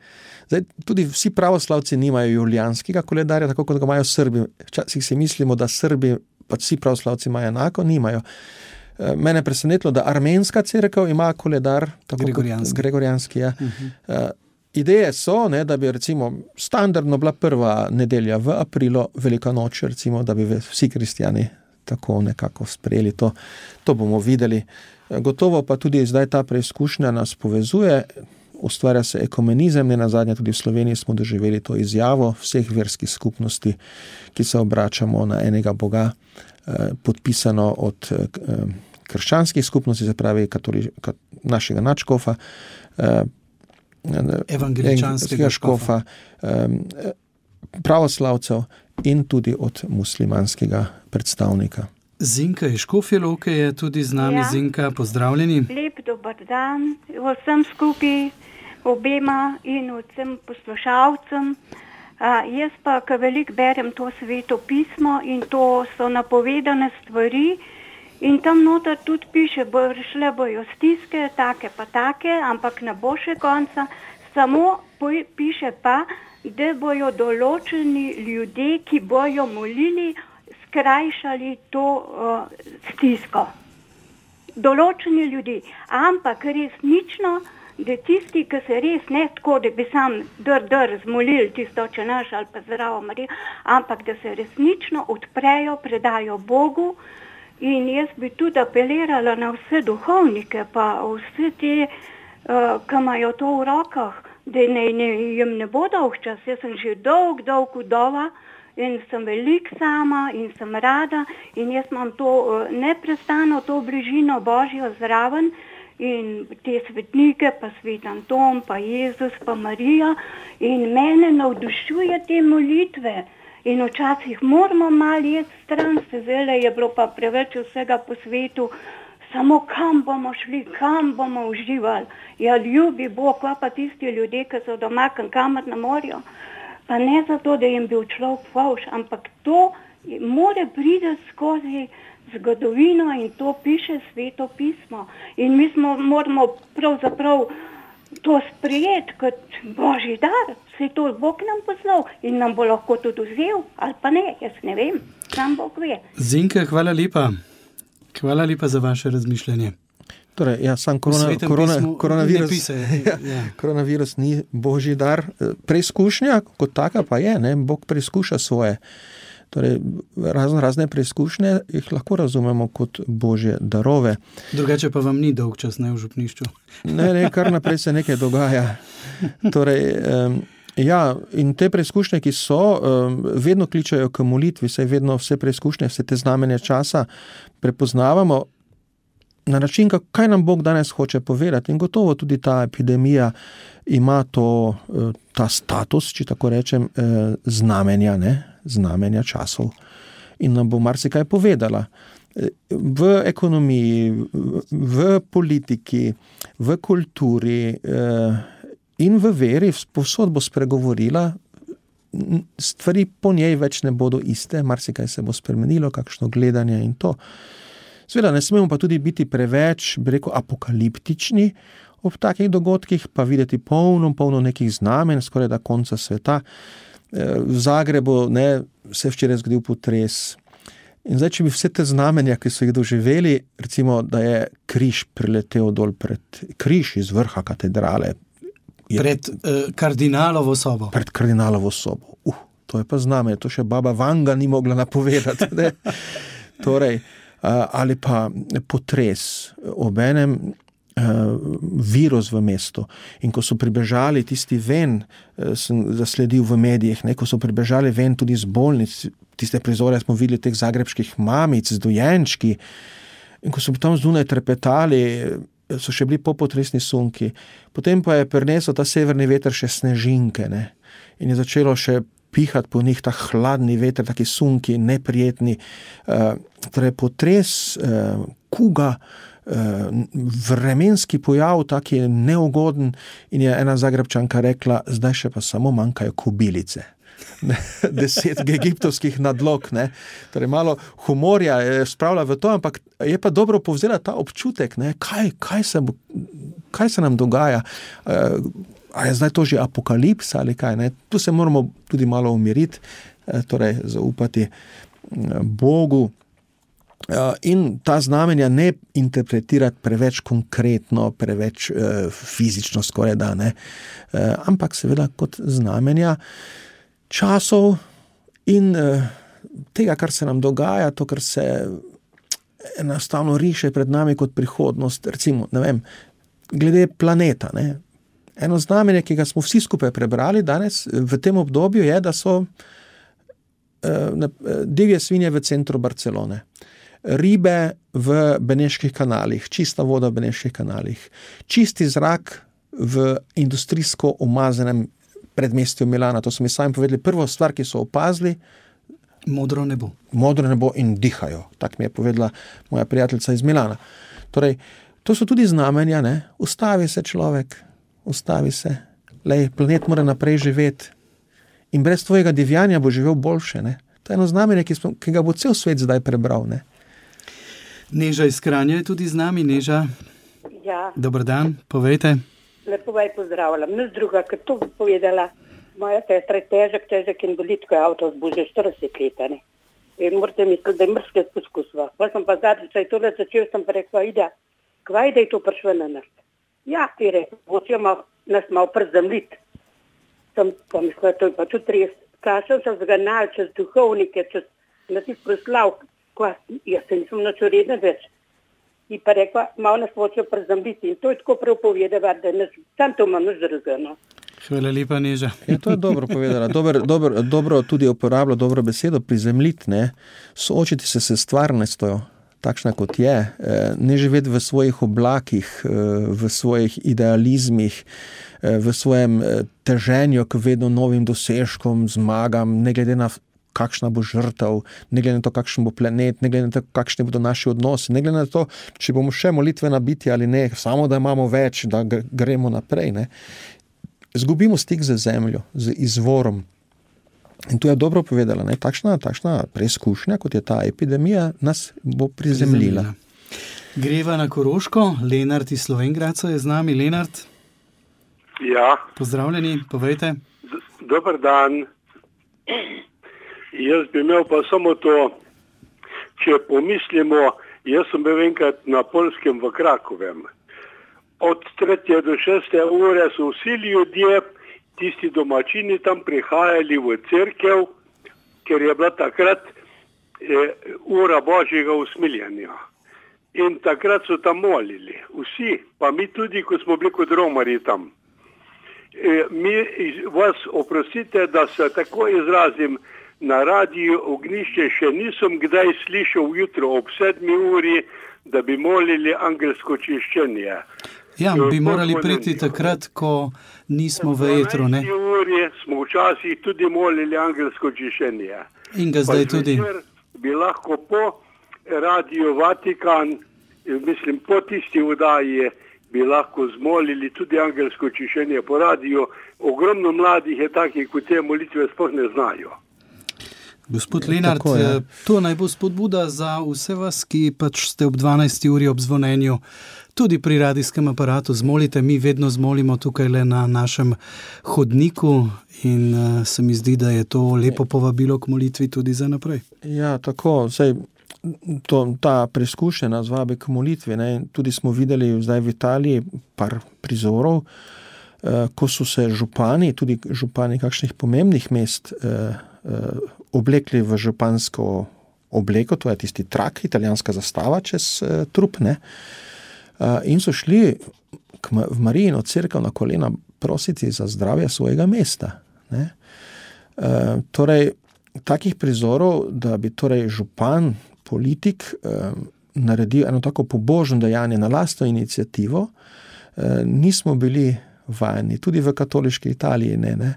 Zdaj, tudi vsi pravoslavci nimajo julijanskega koledarja, tako kot ga imajo Srbi. Včasih si mislimo, da Srbi, pa vsi pravoslavci imajo enako, nimajo. Mene je presenetilo, da armenska cerkev ima koledar, tako gregorijanski. Ja. Ideje so, ne, da bi recimo standardno bila prva nedelja v aprilu, velika noč, recimo, da bi vsi kristjani tako nekako sprejeli to. To bomo videli. Gotovo pa tudi zdaj ta preizkušnja nas povezuje. ustvarja se ekumenizem, ne nazadnje tudi v Sloveniji smo doživeli to izjavo vseh verskih skupnosti, ki se obračamo na enega Boga, podpisano od krščanskih skupnosti, se pravi našega nadškofa, evangeličanskega škofa, pravoslavcev in tudi od muslimanskega predstavnika. Zinka iz Škofje Loke je tudi z nami. Zinka, pozdravljeni. Lep dober dan vsem skupaj, obema in vsem poslušalcem. Jaz pa, ko veliko berem to Sveto pismo in to so napovedane stvari in tam noter tudi piše, šle bojo stiske, take pa take, ampak ne bo še konca, samo piše pa, da bojo določeni ljudje, ki bojo molili, skrajšali to stisko. Določeni ljudi, ampak resnično, da tisti, ki se res ne tako, da bi sam zmolili tisto, če naš ali pa zdravo Marijo, ampak da se resnično odprejo, predajo Bogu. In jaz bi tudi apelirala na vse duhovnike, pa vse te, ki imajo to v rokah, da jim ne bo dolg čas. Jaz sem že dolg vdova in sem veliko sama in sem rada in jaz imam to neprestano, to bližino Božjo zraven in te svetnike, pa svet Anton, pa Jezus, pa Marija in mene navdušuje te molitve. In včasih moramo malo jeti stran, zdaj je bilo pa preveč vsega po svetu, samo kam bomo šli, kam bomo uživali. Ja, ljubi Bog, pa tisti ljudje, ki so doma, kamor ne morajo. Pa ne zato, da jim bil človek fovš, ampak to more priti skozi zgodovino in to piše Sveto pismo. In mi moramo pravzaprav to sprejeti kot Božji dar, se to Bog nam poslal in nam bo lahko tudi vzel, ali pa ne, jaz ne vem, sam Bog ve. Zinka, hvala lepa. Hvala lepa za vaše razmišljanje. Torej, sam koronavirus ni Božji dar. Preizkušnja kot taka pa je, ne? Bog preizkuša svoje. Torej, razne preizkušnje jih lahko razumemo kot Božje darove. Drugače pa vam ni dolg čas, ne, v župnišču? Ne, kar naprej se nekaj dogaja. Torej, in te preizkušnje, ki so, vedno kličajo k molitvi, saj vedno vse preizkušnje, vse te znamenja časa prepoznavamo na način, kaj nam Bog danes hoče povedati. In gotovo tudi ta epidemija ima ta status, če tako rečem, znamenja časov. In nam bo marsikaj povedala. V ekonomiji, v politiki, v kulturi in v veri povsod bo spregovorila, stvari po njej več ne bodo iste, marsikaj se bo spremenilo, kakšno gledanje in to. Seveda ne smemo pa tudi biti preveč, bi rekel, apokaliptični ob takih dogodkih, pa videti polno nekih znamen, skoraj da konca sveta. V Zagrebu se je včeraj zgodil potres. In zdaj, če bi vse te znamenja, ki so jih doživeli, recimo, da je križ priletel dol križ iz vrha katedrale. Pred kardinalovo sobo. Pred kardinalovo sobo. To je pa znamenje, to še baba Vanga ni mogla napovedati. Torej, ali pa potres, obenem virus v mestu. In ko so pribežali tisti ven, sem zasledil v medijih, ko so pribežali ven tudi z bolnic, tiste prizore smo videli teh zagrebških mamic z dojenčki, in ko so tam zunaj trepetali, so še bili popotresni sunki. Potem pa je prinesel ta severni veter še snežinke, in je začelo še pihati po njih ta hladni veter, taki sunki, neprijetni. Torej potres, kuga, vremenski pojav, taki neugoden, in je ena Zagrebčanka rekla, zdaj še pa samo manjkajo kobilice. 10 egiptovskih nadlog, Torej malo humorja je spravila v to, ampak je pa dobro povzela ta občutek, kaj se nam dogaja. A je zdaj to že apokalipsa ali kaj, Tu se moramo tudi malo umiriti, torej zaupati Bogu in ta znamenja ne interpretirati preveč konkretno, preveč fizično skoraj da, ampak seveda kot znamenja časov in tega, kar se nam dogaja, to, kar se enostavno riše pred nami kot prihodnost, recimo, glede planeta, Eno znamenje, ki ga smo vsi skupaj prebrali danes v tem obdobju, je, da so divje svinje v centru Barcelone, ribe v Beneških kanalih, čista voda v Beneških kanalih, čisti zrak v industrijsko umazanem predmestju Milana. To so mi sami povedali. Prvo stvar, ki so opazili, modro nebo. Modro nebo in dihajo. Tak mi je povedala moja prijateljica iz Milana. Torej, to so tudi znamenja, ne? Ustavi se človek, ustavi se. Lej, planet mora naprej živeti. In brez tvojega divjanja bo živel boljše, ne? To je eno znamenje, ki ga bo cel svet zdaj prebral, ne? Neža iz Kranja je tudi z nami. Neža, ja. Dober dan, povejte. Lepo vaj pozdravljam. Nič druga, kot to povedala. Moja sestra je težek invalid, ko je avto zbužil 40 let, ne. In morate misliti, da je mrske poskusva. Pa sem pa zadnjič, saj tole začel, sem pa rekla, Ida, kvaj da je to prišlo na nas? Ja, ti rekla, hočejo nas malo przemljiti. Sem pa mislila, to je pa tudi res. Kašel sem zganal čez duhovnike, čez na tih proslav, jaz se nisem nič uredna več. In pa rekla, malo nas hočejo przemljiti. In to je tako prav povedala, da sam to imam nič drugega, no. Hvala lepa, Neža. Ja, to je dobro povedala. Dobro tudi uporabljala dobro besedo, prizemljiti, ne. Soočiti se s stvarnostjo, takšna kot je, ne živeti v svojih oblakih, v svojih idealizmih, v svojem teženju k vedno novim dosežkom, zmagam, ne glede na kakšna bo žrtev, ne glede na to, kakšen bo planet, ne glede na to, kakšni bodo naši odnosi, ne glede na to, če bomo še molitvena bitja ali ne, samo da imamo več, da gremo naprej, ne. Zgubimo stik z zemljo, z izvorom. In tu je dobro povedala, ne, takšna preizkušnja, kot je ta epidemija, nas bo prizemljila. Greva na Koroško, Lenart iz Slovenj Gradca je z nami. Lenart? Ja. Pozdravljeni, povejte. Dober dan. Jaz bi imel pa samo to, če pomislimo, jaz sem bil enkrat na Poljskem v Krakovem. Od 3. do 6. ure so vsi ljudje, tisti domačini tam prihajali v cerkev, ker je bila takrat ura Božjega usmiljenja. In takrat so tam molili. Vsi, pa mi tudi, ko smo bili kot romarji tam. Mi vas oprostite, da se tako izrazim, na radiju Ognjišče še nisem kdaj slišal jutro ob 7. uri, da bi molili angelsko čiščenje. Ja, bi morali priti takrat, ko nismo v etru, ne? V 12. uri smo včasih tudi molili angelsko čiščenje. In ga zdaj tudi. Bi lahko po Radio Vatikan, mislim po tisti oddaji, bi lahko zmolili tudi angelsko čiščenje po radiju. Ogromno mladih je takih, ko te molitve sploh ne znajo. Gospod Lenart, to naj bo spodbuda za vse vas, ki pač ste ob 12. uri ob zvonenju tudi pri radijskem aparatu zmolite. Mi vedno zmolimo tukaj le na našem hodniku in se mi zdi, da je to lepo povabilo k molitvi tudi za naprej. Ja, tako, ta preizkušnja nas vabi k molitvi, ne? Tudi smo videli zdaj v Italiji par prizorov, ko so se župani, tudi župani kakšnih pomembnih mest, oblekli v župansko obleko, to je tisti trak, italijanska zastava čez trup, ne? In so šli v Marijino cerkev na kolena prositi za zdravje svojega mesta, ne? Torej, takih prizorov, da bi torej župan, politik naredil eno tako pobožno dejanje na lastno iniciativo, nismo bili vajeni, tudi v katoliški Italiji ne.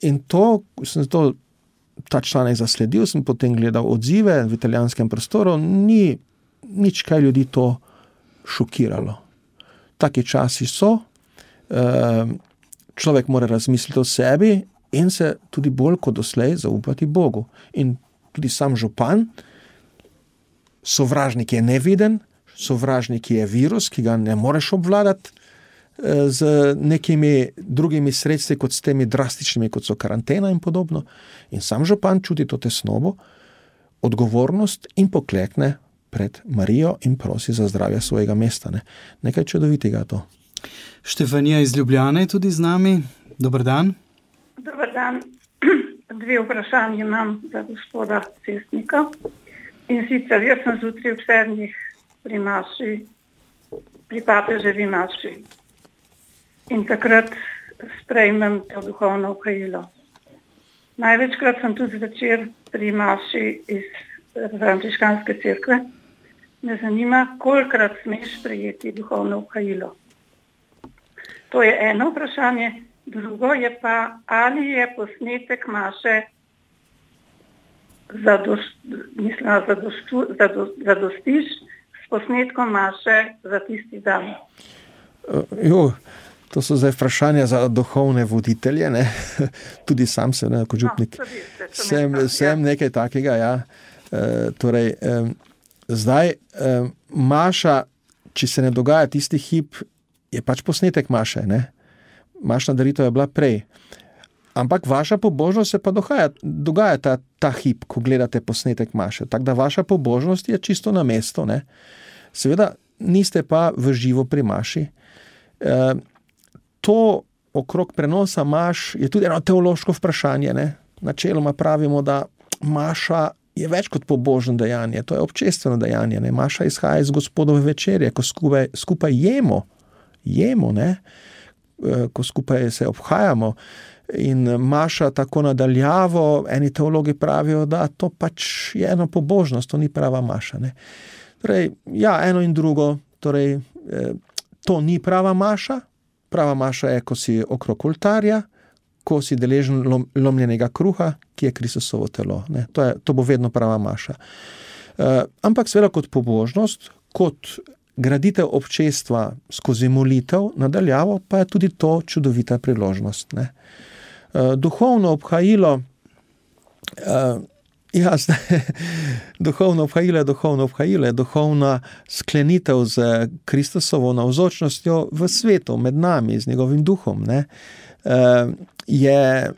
In to, ta članek zasledil, sem potem gledal odzive v italijanskem prostoru, ni nič, kaj ljudi to šokiralo. Taki časi so, človek mora razmisliti o sebi in se tudi bolj kot doslej zaupati Bogu. In tudi sam župan, sovražnik je neviden, sovražnik je virus, ki ga ne moreš obvladati z nekimi drugimi sredstvi, kot s temi drastičnimi, kot so karantena in podobno. In sam župan čuti to tesnobo, odgovornost in poklekne pred Marijo in prosi za zdravje svojega mesta. Ne? Nekaj čudovitega to. Štefanija iz Ljubljane je tudi z nami. Dober dan. Dober dan. 2 vprašanje imam za gospoda Cestnika. In sicer, jaz sem zjutraj ob 7. pri papeževi maši. in takrat sprejmem to duhovno ukajilo. Največkrat sem tudi zvečer pri maši iz frančiškanske cerkve. Me zanima, kolikrat smeš sprejeti duhovno ukajilo. To je eno vprašanje. Drugo je pa, ali je posnetek maše zadostiš s posnetkom maše za tisti dan. To so zdaj vprašanja za duhovne voditelje, ne? Tudi sam sem, ne, kot župnik. Sem nekaj takega, ja. Zdaj, maša, če se ne dogaja tisti hip, je pač posnetek maše, ne? Mašna daritev je bila prej. Ampak vaša pobožnost se pa dogaja ta hip, ko gledate posnetek maše. Tako da vaša pobožnost je čisto na mesto, ne? Seveda niste pa v živo pri maši. To okrog prenosa maš je tudi eno teološko vprašanje, ne? Načeloma pravimo, da maša je več kot pobožno dejanje, to je občestveno dejanje, ne? Maša izhaja iz Gospodove večerje, ko skupaj jemo, ne? Ko skupaj se obhajamo. In maša tako nadaljavo, eni teologi pravijo, da to pač je eno pobožnost, to ni prava maša, ne? Torej, ja, eno in drugo, torej, to ni prava maša. Prava maša je, ko si okrog oltarja, ko si deležen lomljenega kruha, ki je Kristusovo telo, ne? To bo vedno prava maša. Ampak seveda kot pobožnost, kot graditev občestva skozi molitev nadaljavo, pa je tudi to čudovita priložnost, ne? Duhovno obhajilo, duhovno obhajilo je duhovna sklenitev z Kristusovo navzočnostjo v svetu, med nami, z njegovim duhom, ne? Je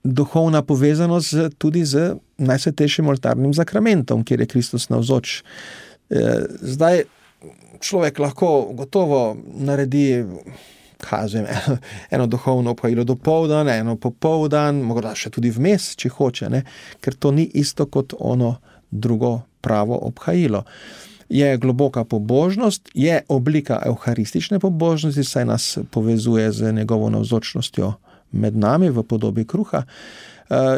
duhovna povezanost tudi z najsvetejšim oltarnim zakramentom, kjer je Kristus navzoč. Zdaj človek lahko gotovo naredi eno duhovno obhajilo dopoldan, eno popoldan, morda še tudi vmes, če hoče, ne? Ker to ni isto kot ono drugo pravo obhajilo. Je globoka pobožnost, je oblika evharistične pobožnosti, saj nas povezuje z njegovo navzočnostjo med nami v podobi kruha.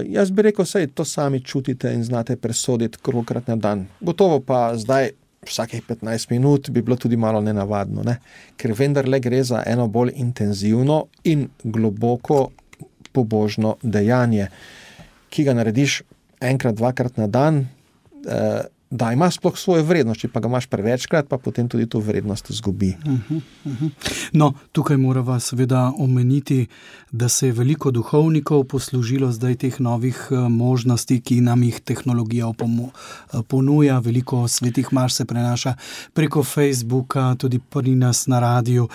Jaz bi rekel, saj to sami čutite in znate presoditi kolikokrat na dan. Gotovo pa zdaj vsakih 15 minut bi bilo tudi malo nenavadno, ne? Ker vendarle gre za eno bolj intenzivno in globoko pobožno dejanje, ki ga narediš enkrat, dvakrat na dan, da ima sploh svojo vrednost, če pa ga imaš prevečkrat, pa potem tudi to vrednost izgubi. No, tukaj morava seveda omeniti, da se je veliko duhovnikov poslužilo zdaj teh novih možnosti, ki nam jih tehnologija ponuja. Veliko svetih maš se prenaša preko Facebooka, tudi pri nas na radiju,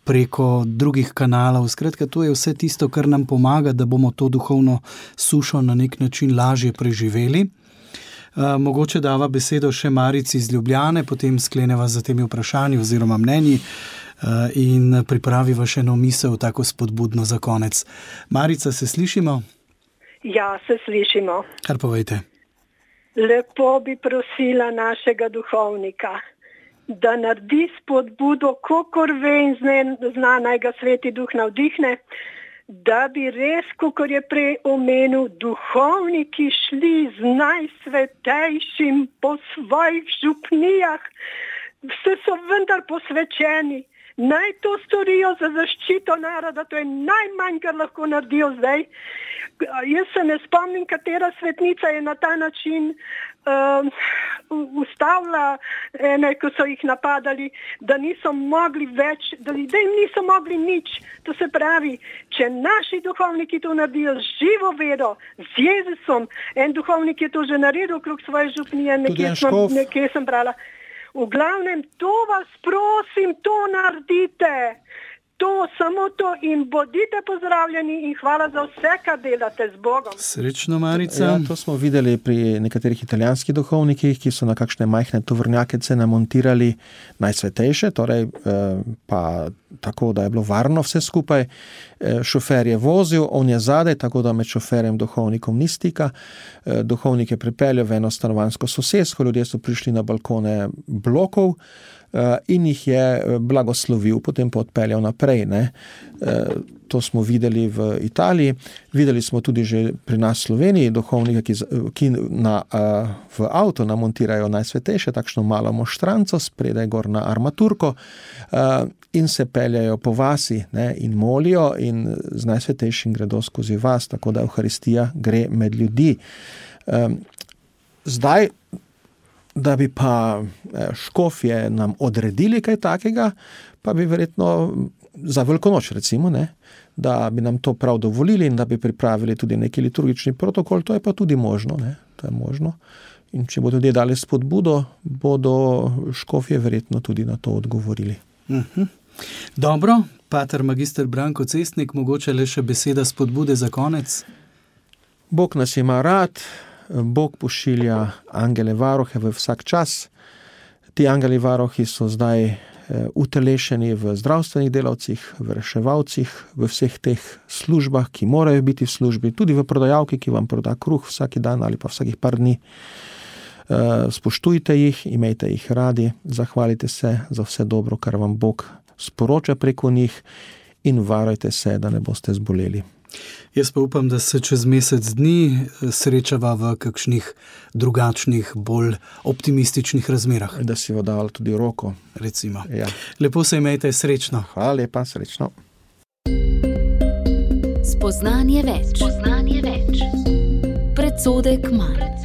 preko drugih kanalov. Skratka, to je vse tisto, kar nam pomaga, da bomo to duhovno sušo na nek način lažje preživeli. Mogoče dava besedo še Marici iz Ljubljane, potem skleneva za temi vprašanji oziroma mnenji in pripraviva še eno misel, tako spodbudno za konec. Marica, se slišimo? Ja, se slišimo. Kar povejte. Lepo bi prosila našega duhovnika, da naredi spodbudo, kakor ve in zna, naj ga Sveti Duh navdihne, da bi res, kakor je prej omenil, duhovniki šli z najsvetejšim po svojih župnijah, vse so vendar posvečeni, naj to storijo za zaščito naroda, to je najmanj, kar lahko naredijo zdaj. Jaz se ne spomnim, katera svetnica je na ta način ustavila ene, ko so jih napadali, da niso mogli več, da jim niso mogli nič. To se pravi, če naši duhovniki to naredijo z živo vero, z Jezusom, en duhovnik je to že naredil okrog svoje župnije, nekje sem brala. V glavnem, to vas prosim, to naredite. To, samo to in bodite pozdravljeni in hvala za vse, kar delate z Bogom. Srečno, Marica. Ja, to smo videli pri nekaterih italijanskih duhovnikih, ki so na kakšne majhne tovornjakece namontirali najsvetejše, torej pa tako, da je bilo varno vse skupaj. Šofer je vozil, on je zadaj, tako da med šoferjem duhovnikom ni stika. Duhovnik je pripeljal v eno stanovanjsko sosesko, ljudje so prišli na balkone blokov in jih je blagoslovil, potem pa odpeljal naprej. Ne. To smo videli v Italiji, videli smo tudi že pri nas v Sloveniji duhovnika, ki v avto namontirajo najsvetejše, takšno malo moštranco, spredaj gor na armaturko in se peljajo po vasi, ne, in molijo in z najsvetejšim gredo skozi vas, tako da Evharistija gre med ljudi. Zdaj, da bi pa škofje nam odredili kaj takega, pa bi verjetno za Velikonoč recimo, ne, da bi nam to prav dovolili in da bi pripravili tudi neki liturgični protokol, to je pa tudi možno, ne, to je možno. In če bodo ljudje dali spodbudo, bodo škofje verjetno tudi na to odgovorili. Dobro, pater magister Branko Cestnik, mogoče le še beseda spodbude za konec? Bog nas ima rad, Bog pošilja angele varuhe v vsak čas. Ti angeli varuhi so zdaj utelešeni v zdravstvenih delavcih, v reševalcih, v vseh teh službah, ki morajo biti v službi, tudi v prodajalki, ki vam proda kruh vsak dan ali pa vsakih par dni. Spoštujte jih, imejte jih radi, zahvalite se za vse dobro, kar vam Bog sporoča preko njih in varujte se, da ne boste zboleli. Jaz pa upam, da se čez mesec dni srečava v kakšnih drugačnih, bolj optimističnih razmerah. Da si bo dal tudi roko. Recimo. Ja. Lepo se imejte, srečno. Hvala lepa, srečno. Spoznanje več. Predsodek manj.